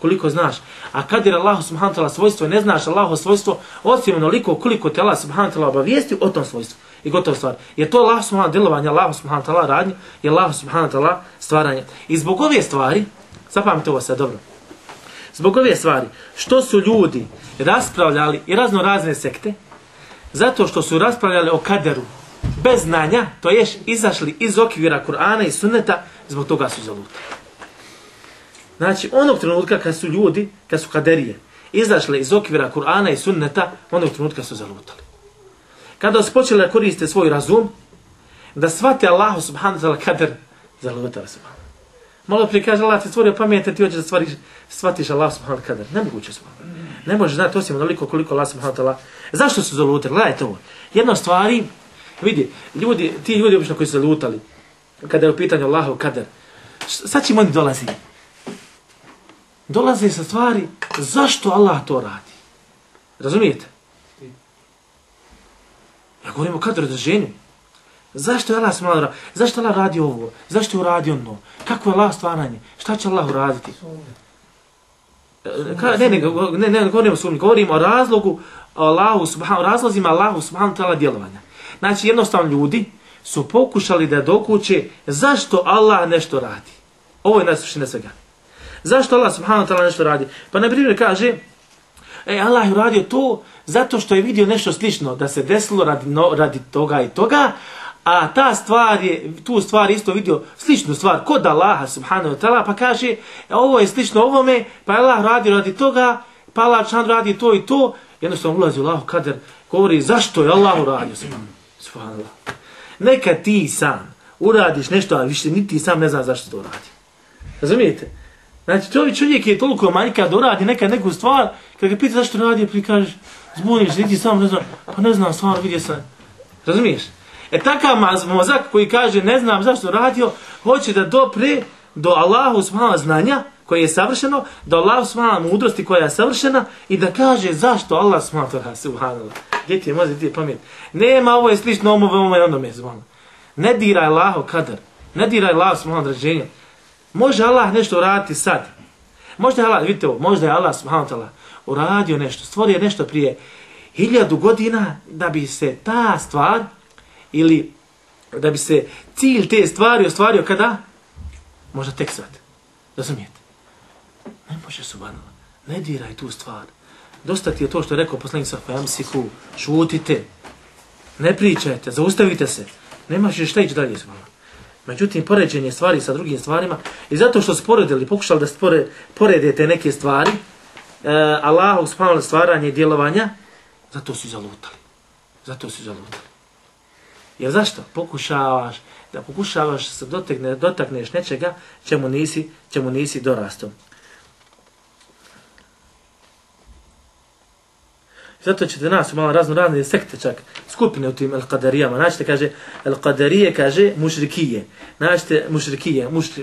koliko znaš. A kad je Allah subhanahu ta'ala svojstvo, ne znaš Allahovo svojstvo osim onoliko koliko te Allah subhanahu ta'ala obavijesti o tom svojstvu. I gotova stvar. Je to Allah subhanahu djelovanje, Allah subhanahu ta'ala radnje i Allah subhanahu ta'ala stvaranje. I zbog ove stvari Zapamite ovo sad dobro. Zbog ove stvari, što su ljudi raspravljali i razne sekte, zato što su raspravljali o kaderu bez znanja, to je izašli iz okvira Kur'ana i sunneta, zbog toga su zalutali. Znači, onog trenutka kad su kaderije, izašle iz okvira Kur'ana i sunneta, onog trenutka su zalutali. Kada su počeli da koriste svoj razum, da shvate Allahu subhanahu wa ta'ala kader, zalutali su. Malo prije kaže Allah ti stvorio pamet, ti hoćeš da shvatiš Allah subhanahu wa ta'ala kader. Nemoguće su. Ne možeš znati osim onoliko koliko Allah subhanahu wa ta'ala. Zašto su zalutali? Gledajte ovo. Jedna stvari, vidi, ti ljudi obično koji su zalutali, kada je u pitanju Allahu kader, sad ćemo oni dolazi. Dolaze sa stvari, zašto Allah to radi? Razumijete? Ja govorim o kaderu određenju. Zašto je Allah smala, zašto Allah radi ovo? Zašto je uradio ono? Kako je Allah stvaranje? Šta će Allah uraditi? Ne govorimo o sumnji, govorimo o razlogu razlozima Allahu subhanahu ta'ala djelovanja. Znači jednostavno ljudi su pokušali da dokuče zašto Allah nešto radi. Ovo je najsuština svega. Zašto Allah subhanahu ta'ala nešto radi? Pa na primjer kaže, Allah je uradio to zato što je vidio nešto slično da se desilo radi toga i toga, a tu stvar isto vidio sličnu stvar kod Allaha subhanahu wa ta'ala, pa kaže ovo je slično ovome, pa Allah radi radi toga, pa Allah radi to i to, jednostavno ulazi u Allahu kader, govori zašto je Allah uradio subhanallah. Neka ti sam uradiš nešto, a više ni ti sam ne znaš zašto to radi. Razumijete? Znači čovjek je toliko manjka da uradi neku stvar, kad ga pita zašto radi, pa kažeš zbuniš, niti sam ne znam, pa ne znam stvarno, vidio sam. Razumiješ? Takav mozak koji kaže ne znam zašto radio, hoće da dopre do Allahu subhanahu znanja koje je savršeno, do Allahu subhanahu mudrosti koja je savršena i da kaže zašto Allah subhanahu. Gdje ti je mozak, gdje je pamet? Nema, ovo je slično ovo je onome. Ne diraj Allahu kader, ne diraj Allahu subhanahu određenja. Može Allah nešto uraditi sad. Možda je Allah, vidite ovo, možda je Allah subhanahu uradio nešto, stvorio nešto prije 1000 godina da bi se ta stvar ili da bi se cilj te stvari ostvario kada? Možda tek sad. Razumijete? Ne može subhanallah. Ne diraj tu stvar. Dosta ti je to što je rekao poslanik sallallahu alejhi ve sellem, šutite. Ne pričajte, zaustavite se. Nemaš šta ići dalje subhanallah. Međutim, poređenje stvari sa drugim stvarima i zato što su poredili, pokušali da poredete neke stvari, Allahu subhanahu stvaranje i djelovanja, zato su zalutali. Jer zašto? Pokušavaš se dotakneš nečega čemu nisi dorastao. Zato ćete nas malo razne sekte čak, skupine u tim al-Qadarijama. Naćete, kaže, al-Qadarije, kaže, mušrikije. Naćete,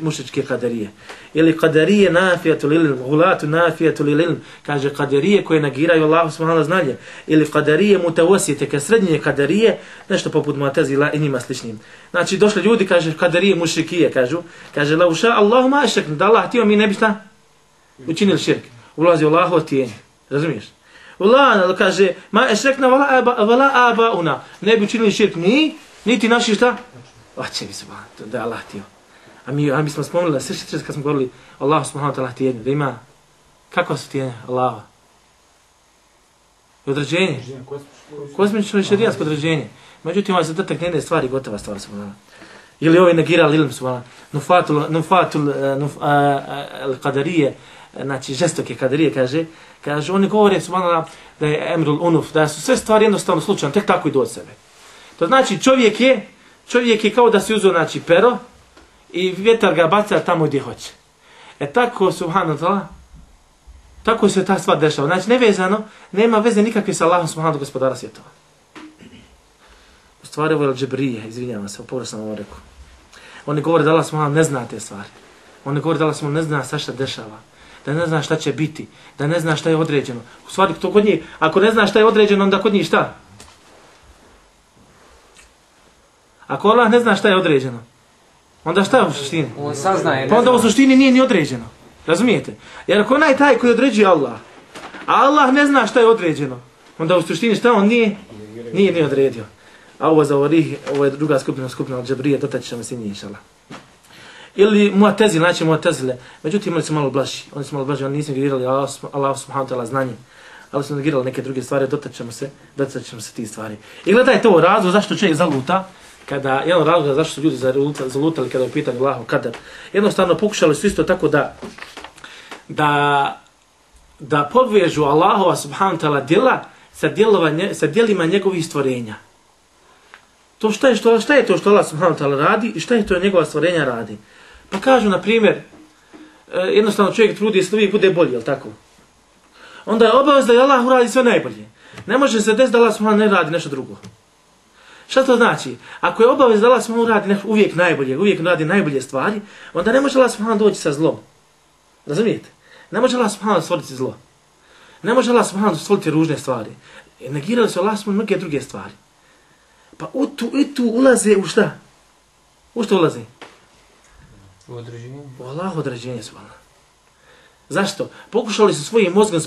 mušričke Qadarije. Ili Qadarije nafijatu lil'ilm, gulatu nafijatu lil'ilm. Kaže, Qadarije koje negiraju Allahu subhanahu znanje. Ili Qadarije mutawasijete, kao srednje Qadarije, nešto poput Mu'tazila i njima sličnim. Znači, došli ljudi, kaže, Qadarije mušrikije, kažu. Kaže, la uša Allahu ma ašreknu, da Allah htio mi ne bi šta učinili širk. Ulazi Allahu tijenje. Razumiješ? Allah kaže, ma ešrekna vala abauna. Ne bi učinili širk niti naši šta? Oće bi subhanahu, da je Allah htio. A mi smo spomenuli da srši kad smo govorili Allah subhanahu ta'ala tijenje, da ima, kakva su tijenje Allaha? I određenje. Kosmično i šerijatsko određenje. Međutim, ovaj zadatak njene stvari, gotova stvar subhanahu. Ili ovaj negirali ilm subhanahu. Nufatul al-Qadarije, znači žestoke Qadarije, kaže, oni govore subhanallah da je emrul unuf, da su sve stvari jednostavno slučajno, tek tako idu od sebe. To znači čovjek je kao da se uzeo znači pero i vjetar ga baca tamo gdje hoće. Tako subhanallah, tako se ta stvar dešava. Znači nevezano, nema veze nikakve sa Allahom subhanahu gospodara svjetova. U stvari ovo je Al-Džibrije, izvinjavam se, pogrešno sam ovo rekao. Oni govore da Allah subhanahu ne zna te stvari. Oni govore da Allah subhanahu ne zna šta dešava. Da ne zna šta će biti, da ne zna šta je određeno. U stvari, to kod njih, ako ne zna šta je određeno, onda kod njih šta? Ako Allah ne zna šta je određeno, onda šta je u suštini? On saznaje. Pa onda u suštini nije ni određeno. Razumijete? Jer ako onaj taj koji određuje Allah, a Allah ne zna šta je određeno, onda u suštini šta on nije odredio. A ovo za ovo je druga skupina od Džibrije, dotaći ćemo se njih, inšallah. Ili Mu'tazile, znači Mu'tazile. Međutim, oni su malo blaži. Oni nisu negirali Allah subhanahu wa ta'ala znanje. Ali su negirali neke druge stvari, dotaćemo se tih stvari. I gledajte ovo razlog zašto čovjek zaluta, jedan razlog zašto su ljudi zalutali kada je u pitanju Allahu kadar. Jednostavno pokušali su isto tako da povežu Allahova subhanahu wa ta'ala djela sa djelima njegovih stvorenja. To šta je to što Allah subhanahu wa ta'ala radi i šta je to njegova stvorenja radi. Pa kažu, na primjer, jednostavno čovjek trudi se da uvijek bude bolji, jel tako? Onda je obavez da Allah uradi sve najbolje. Ne može se desiti da Allah subhanahu ne radi nešto drugo. Šta to znači? Ako je obavez da Allah subhanahu radi uvijek najbolje, uvijek radi najbolje stvari, onda ne može Allah subhanahu doći sa zlom. Razumijete? Ne može Allah subhanahu stvoriti zlo. Ne može Allah subhanahu stvoriti ružne stvari. Negirali su Allah subhanahu mnoge druge stvari. Pa u tu ulaze u šta? U što ulaze? U određenje. U Allah određenje su Allah. Zašto? Pokušali su svojim mozgom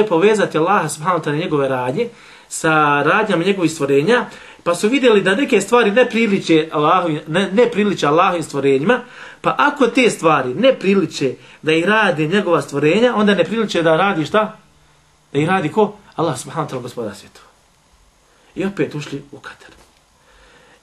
povezati Allaha subhanahu ta'ala njegove radnje sa radnjama njegovih stvorenja, pa su vidjeli da neke stvari ne priliče Allahovim stvorenjima, pa ako te stvari ne priliče da ih radi njegova stvorenja, onda ne priliče da radi šta? Da ih radi ko? Allah subhanahu ta'ala gospodar svjetova. I opet ušli u kadar.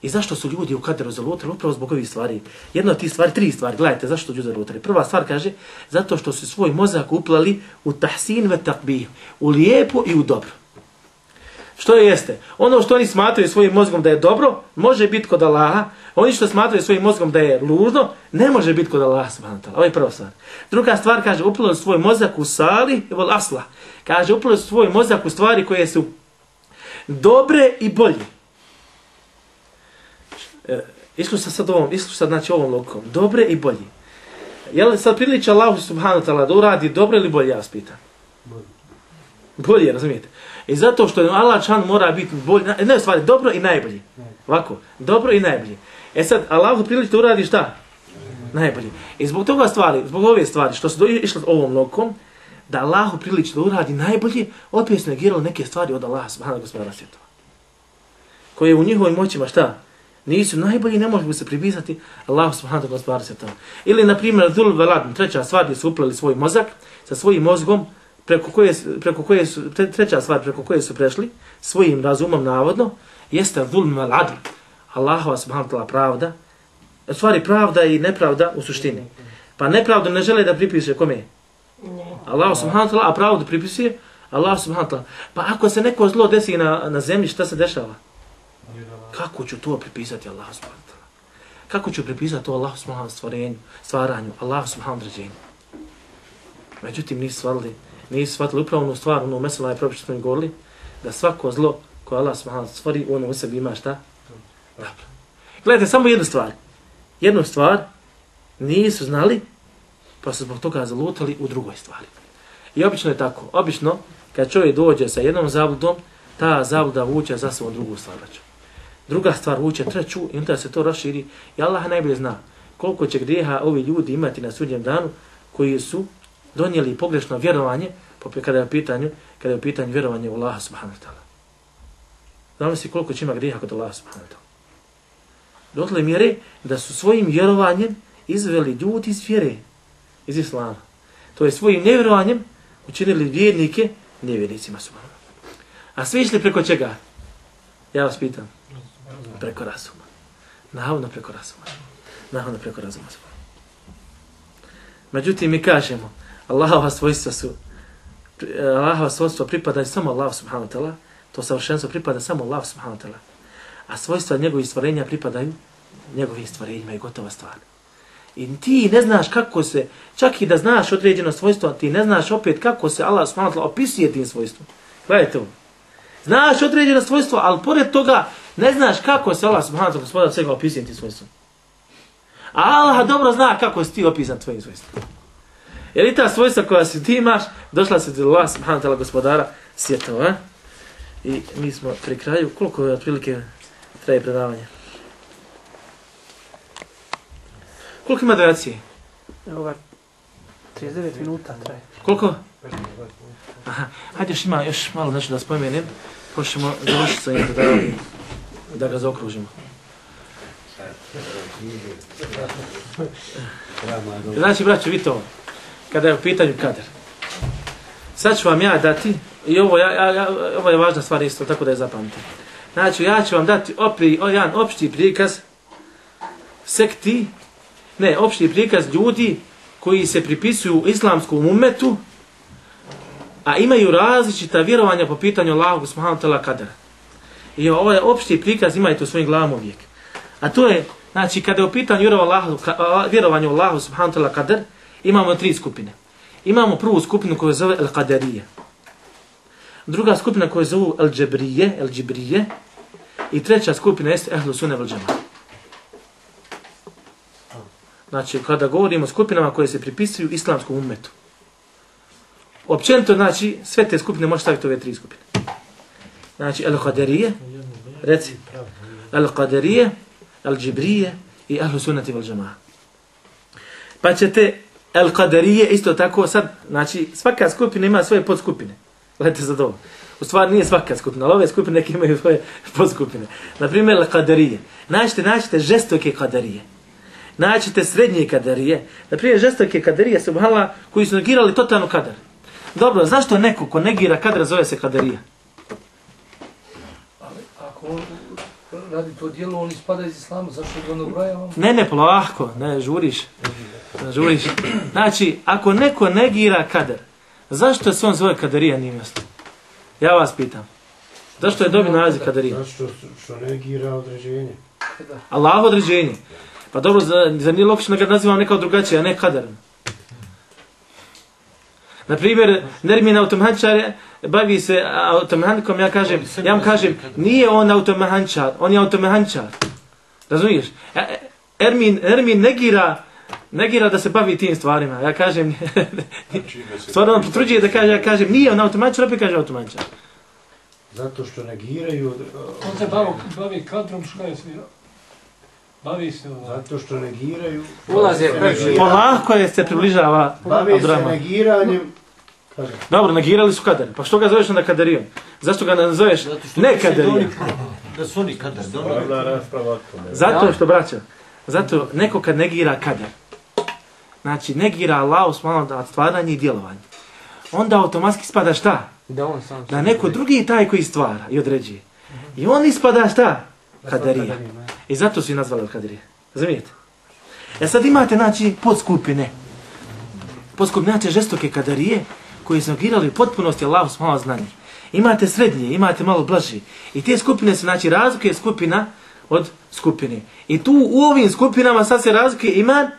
I zašto su ljudi u kaderu zalutali? Upravo zbog ovih stvari. Jedna od tih stvari, 3 stvari. Gledajte, zašto su ljudi zalutali? Prva stvar kaže, zato što su svoj mozak uplali u tahsin ve takbih, u lijepo i u dobro. Što jeste? Ono što oni smatraju svojim mozgom da je dobro, može biti kod Allaha. Oni što smatraju svojim mozgom da je ružno, ne može biti kod Allaha subhanahu wa ta'ala. Ovo je prva stvar. Druga stvar kaže, uplali su svoj mozak u sali wal aslah. Kaže, uplali su svoj mozak u stvari koje su dobre i bolje. Išli sad znači ovom logikom. Dobre i bolje. Je li sad priliče Allahu subhanahu wa ta'ala da uradi dobro ili bolje, ja vas pitam? Bolje, razumijete? I zato što Allah čan mora biti bolje, ne stvari, dobro i najbolje. Ovako, dobro i najbolje. Sad, Allahu priliče da uradi šta? Najbolje. I zbog ove stvari, što su išli ovom logikom, da Allahu priliče da uradi najbolje, opet su negirali neke stvari od Allaha subhanahu wa ta'ala svjetova. Koje u njihovim moćima šta? Nisu najbolji, ne mogu se pripisati Allahu subhanahu wa ta'ala. Ili, na primjer, dhul velad, treća stvar gdje su uplali svoj mozak sa svojim mozgom, treća stvar preko koje su prešli, svojim razumom navodno, jeste dhul velad, Allahova subhanahu wa ta'ala pravda, u stvari pravda i nepravda u suštini. Pa nepravdu ne žele da pripiše kome? Allahu subhanahu wa ta'ala, a pravdu pripisuje Allahu subhanahu wa ta'ala. Pa ako se neko zlo desi na zemlji, šta se dešava? Kako ću to pripisati Allahu subhanahu wa ta'ala? Kako ću pripisati to Allahu subhanahu stvaranju, Allahu subhanahu određenju? Međutim, nisu shvatili upravo onu stvar, ono mesela je propis što smo im govorili, da svako zlo koje Allah subhanahu stvori, ono u sebi ima šta? Dobro. Gledajte, samo jednu stvar. Jednu stvar nisu znali, pa su zbog toga zalutali u drugoj stvari. I obično je tako. Obično, kad čovjek dođe sa jednom zabludom, ta zabluda vuče za sobom drugu stvar. Druga stvar vuče treću i onda se to raširi. I Allah najbolje zna koliko će grijeha ovi ljudi imati na sudnjem danu koji su donijeli pogrešno vjerovanje kada je u pitanju vjerovanje u Allaha subhanahu wa ta'ala. Znamo si koliko će ima grijeha kod Allaha subhanahu wa ta'ala. Dotle mjere da su svojim vjerovanjem izveli ljudi iz vjere, iz islama. To je svojim nevjerovanjem učinili vjernike nevjernicima subhanahu. A svi išli preko čega? Ja vas pitam. Preko razuma. Navodno preko razuma. Međutim, mi kažemo, Allahova svojstva pripadaju samo Allahu subhanahu wa ta'ala, to savršenstvo pripada samo Allahu subhanahu wa ta'ala, a svojstva njegovih stvorenja pripadaju njegovim stvorenjima i gotova stvar. I ti ne znaš kako se, čak i da znaš određeno svojstvo, ti ne znaš opet kako se Allah subhanahu wa ta'ala opisuje tim svojstvom. Gledajte ovo. Znaš određeno svojstvo, ali pored toga ne znaš kako se Allah subhanahu wa ta'ala svega opisuje tim svojstvom. A Allah dobro zna kako si ti opisan tvojim svojstvom. Jer i ta svojstva koja si ti imaš, došla se do Allah subhanahu wa ta'ala gospodara svjetova. I mi smo pri kraju, koliko je otprilike traje predavanje? Koliko ima duracije? Evo 39 minuta traje. Koliko? Aha, hajde još malo nešto da spomenem, pošto ćemo završiti sa njim da ga zaokružimo. Znači, braćo, vidite ovo. Kada je u pitanju kader. Sad ću vam ja dati, i ovo je važna stvar isto, tako da je zapamtite. Znači, ja ću vam dati jedan opšti prikaz opšti prikaz ljudi koji se pripisuju islamskom ummetu, a imaju različita vjerovanja po pitanju Allahu subhanahu wa ta'ala kadera. I ovaj opšti prikaz imajte u svojim glavama uvijek. A to je, znači, kada je u pitanju vjerovanja u Allahu subhanahu wa ta'ala kader, imamo 3 skupine. Imamo prvu skupinu koju zove al-Qadarije. Druga skupina koju zove al-Džibrije. I treća skupina jeste Ehlu Sunne vel Džemaat. Znači, kada govorimo o skupinama koje se pripisuju islamskom ummetu. Općenito, znači, sve te skupine može staviti ove 3 skupine. Znači, al-Qadarije, reci, al-Qadarije, al-Džibrije i Ehlu Sunne vel Džemaat. Pa ćete al-Qadarije isto tako sad, znači, svaka skupina ima svoje podskupine. Gledajte za to. U stvari nije svaka skupina, ali ove skupine neke imaju svoje podskupine. Naprimjer, al-Qadarije. Naćete žestoke Qadarije. Naćete srednje Qadarije. Naprimjer, žestoke Qadarije, subhanallah, koji su negirali totalno kadar. Dobro, zašto neko ko negira kadar zove se Qadarija? Ali ako on radi to dijelo, on ispada iz islama, zašto ga on obrajava? Ne, polako, ne, žuriš. Znači, ako neko negira kadar, zašto se on zove Qadarija, nije jasno? Ja vas pitam. Zašto je dobio naziv Qadarija? Zato što negira određenje. Allah određenje. Pa dobro, za nije logično da ga nazivam nekao drugačije, a ne kadar. Naprimjer, Nermin automehančar bavi se automehanikom, ja vam kažem, nije on automehančar, on je automehančar. Razumiješ? Nermin negira da se bavi tim stvarima. Ja kažem, stvarno on potvrđuje da kaže, ja kažem, nije on automehančar, opet kaže automehančar. Zato što negiraju... On se bavi kadrom, što je svi... Bavi se... Zato što negiraju... Polako je se približava... Bavi se negiranjem... Dobro, negirali su kadar. Pa što ga zoveš onda Qadarijom? Zašto ga nazoveš ne Qadarijom? Da su oni kadar. Zato što, braćo, zato neko kad negira kadar, znači negira Allahu subhanahu wa ta'ala stvaranje i djelovanje, onda automatski spada šta? Da neko drugi taj koji stvara i određuje. I on ispada šta? Qadarija. I zato su i nazvali Qadarija. Razumijete? Sad imate, znači, podskupine. Podskupine, znači, žestoke Qadarije, koji su negirali u potpunosti Allahu subhanahu wa ta'ala znanje. Imate srednje, imate malo blaži. I te skupine su, znači, razlike skupina od skupine. I tu u ovim skupinama sad se razlikuje iman,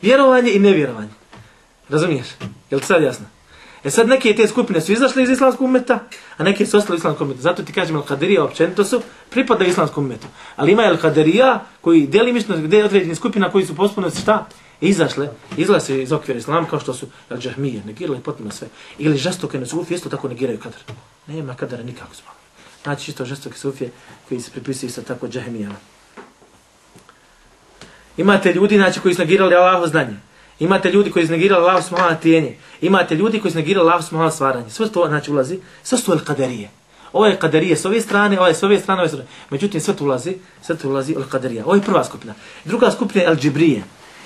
vjerovanje i nevjerovanje. Razumiješ? Je li sad jasno? Sad neke te skupine su izašle iz islamskog ummeta, a neke su ostale u islamskom ummetu. Zato ti kažem, al-Qadarija općenito su pripada islamskom ummetu. Ali ima al-Qadarija koji delimično, gdje je određeni skupina koji su potpuno šta? Izlaze iz okvira islama kao što su al-Džahmije, negirali potpuno sve. Ili žestoke sufije isto tako negiraju kadar. Nema kadara nikako zbog. Znači isto žestoke sufije koji se pripisuju isto tako Džahmijama. Imate ljudi, znači, koji su negirali Allahovo znanje. Imate ljudi koji su negirali Allahovo subhanahu wa ta'ala. Imate ljudi koji su negirali Allahovo subhanahu wa ta'ala stvaranje. Sve to, znači, ulazi. Sve su al-Qadarije. Ovo je Qadarije s ove strane, ovo je s ove strane, ovo je s ove strane. Međutim, sve to ulazi al-Qadarije. Ovo je prva skupina. Druga skupina je al-Džibrije.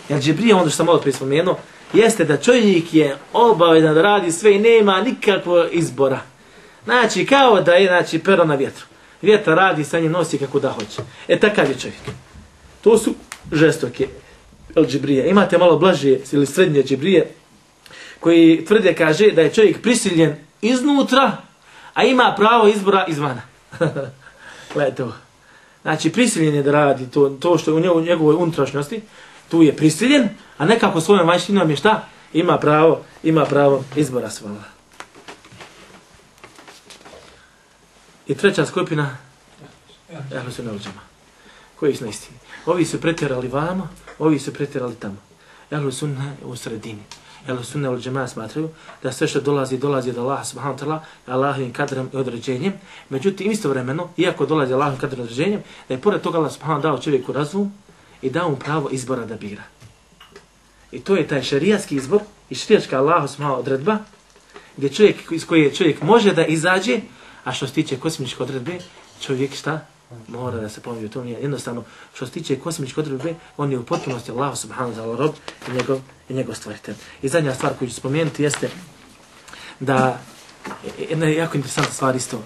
Al-Džibrije, ono što sam malo prije spomenuo, jeste da čovjek je obavezan da radi sve i nema nikakvog izbora. Znači, kao da je, znači, pero na vjetru. Vjetar radi, sa njim nosi kako da hoće. Takav je čovjek. To su žestoke al-Džibrije. Imate malo blaže ili srednje Džibrije koji tvrde, kaže, da je čovjek prisiljen iznutra, a ima pravo izbora izvana. Gledajte ovo. Znači, prisiljen je da radi to što je u njegovoj unutrašnjosti, tu je prisiljen, a nekako svojom vanjštinom je šta? Ima pravo izbora svoga. I treća skupina, Ehlu Sunne vel Džemaat, koji su na istini. Ovi su pretjerali vamo, ovi su pretjerali tamo. Ehlu Sunne u sredini. Ehlu Sunne vel Džemaat smatraju da sve što dolazi od Allaha subhanahu wa ta'ala, Allahovim kadrom i određenjem. Međutim, istovremeno, iako dolazi Allahovim kadrom i određenjem, da je pored toga Allah subhanahu dao čovjeku razum i dao mu pravo izbora da bira. I to je taj šerijatski izbor i šerijatska Allahu subhanahu odredba, gdje čovjek, iz koje čovjek može da izađe, a što se tiče kosmičke odredbe, čovjek šta? Mora da se pomije, to nije jednostavno. Što se tiče kosmičke odredbe, on je u potpunosti Allah subhanahu wa ta'ala rob i njegov stvoritelj. I zadnja stvar koju ću spomenuti jeste da, jedna jako interesantna stvar isto,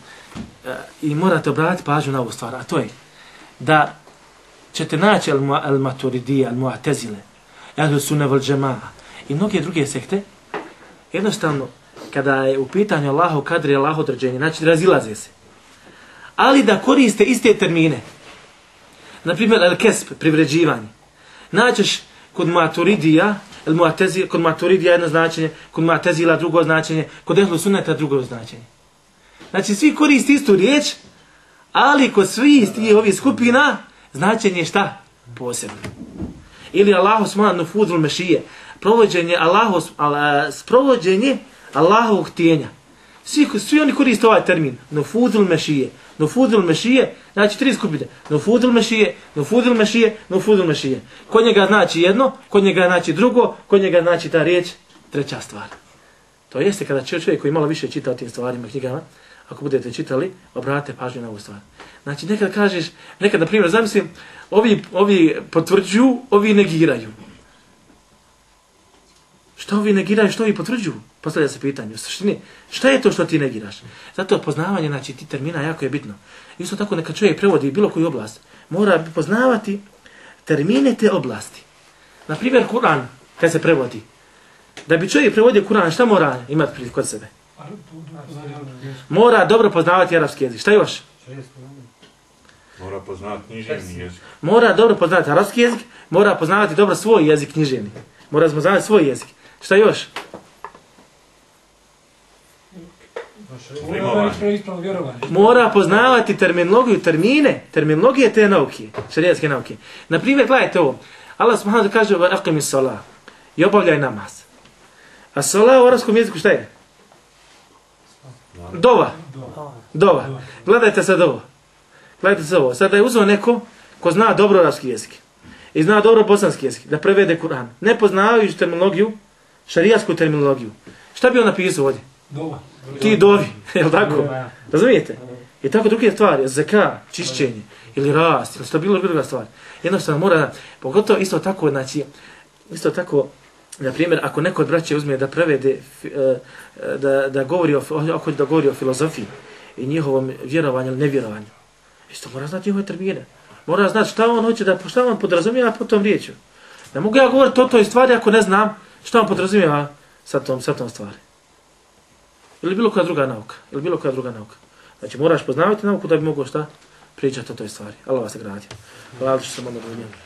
i morate obratiti pažnju na ovu stvar, a to je da ćete naći al-Maturidije, al-Mu'tazile, al-Sunne wal Džema'a i mnoge druge sekte, jednostavno, kada je u pitanju Allahu kadri, Allahu određenje, znači razilaze se. Ali da koriste iste termine. Naprimjer, al-Kesb, privređivanje. Naćeš kod Maturidija, kod Maturidija jedno značenje, kod Mu'tazila drugo značenje, kod Ehlu Sunneta drugo značenje. Znači, svi koriste istu riječ, ali kod svih ovih skupina, značenje je šta? Posebno. Ili Allahu smala nufudul mešije. Sprovođenje Allahovog htjenja. Svi oni koriste ovaj termin. Nufudul mešije. Nufudul mešije, znači 3 skupine. Nufudul mešije, nufudul mešije, nufudul mešije. Kod njega znači jedno, kod njega znači drugo, kod njega znači ta riječ, treća stvar. To jeste kada čovjek koji malo više čita o tim stvarima, knjigama, ako budete čitali, obratite pažnju na ovu stvar. Znači nekad kažeš, nekad na primjer zamislim, ovi potvrđuju, ovi negiraju. Što ovi negiraju, što ovi potvrđuju? Postavlja se pitanje. U suštini, šta je to što ti negiraš? Zato poznavanje, znači, ti termina jako je bitno. Isto tako neka čovjek prevodi bilo koju oblast, mora poznavati termine te oblasti. Naprimjer, Kur'an, kad se prevodi. Da bi čovjek prevodio Kur'an, šta mora imati kod sebe? Mora dobro poznavati arapski jezik. Šta još? Mora poznavati književni jezik. Mora dobro poznavati arapski jezik, mora poznavati dobro svoj jezik književni. Mora poznavati svoj jezik. Šta još? Mora poznavati terminologiju, terminologije te nauke, šerijatske nauke. Naprimjer, gledajte ovo. Allah subhanahu wa ta'ala kaže aqimi s-salah i obavljaj namaz. A salah u arapskom jeziku šta je? Dova. Gledajte sad ovo. Sada je uzeo neko ko zna dobro arapski jezik i zna dobro bosanski jezik da prevede Kur'an. Ne poznavajući terminologiju, šarijatsku terminologiju. Šta bi on napisao ovdje? Ti dovi, je li tako? Razumijete? I tako druge stvari, zeka, čišćenje, ili rast, ili što bilo druga stvar. Jednostavno mora, pogotovo isto tako, znači, na primjer, ako neko od braće uzme da prevede, da govori o filozofiji i njihovom vjerovanju ili nevjerovanju, isto mora znati njihove termine. Mora znati šta on hoće da, šta on podrazumijeva po tom riječu. Ne mogu ja govoriti o toj stvari ako ne znam šta on podrazumijeva sa tom stvari. Ili bilo koja druga nauka. Znači moraš poznavati nauku da bi mogao šta pričati o toj stvari. Allah vas nagradio. Hvala što sam onda do njega.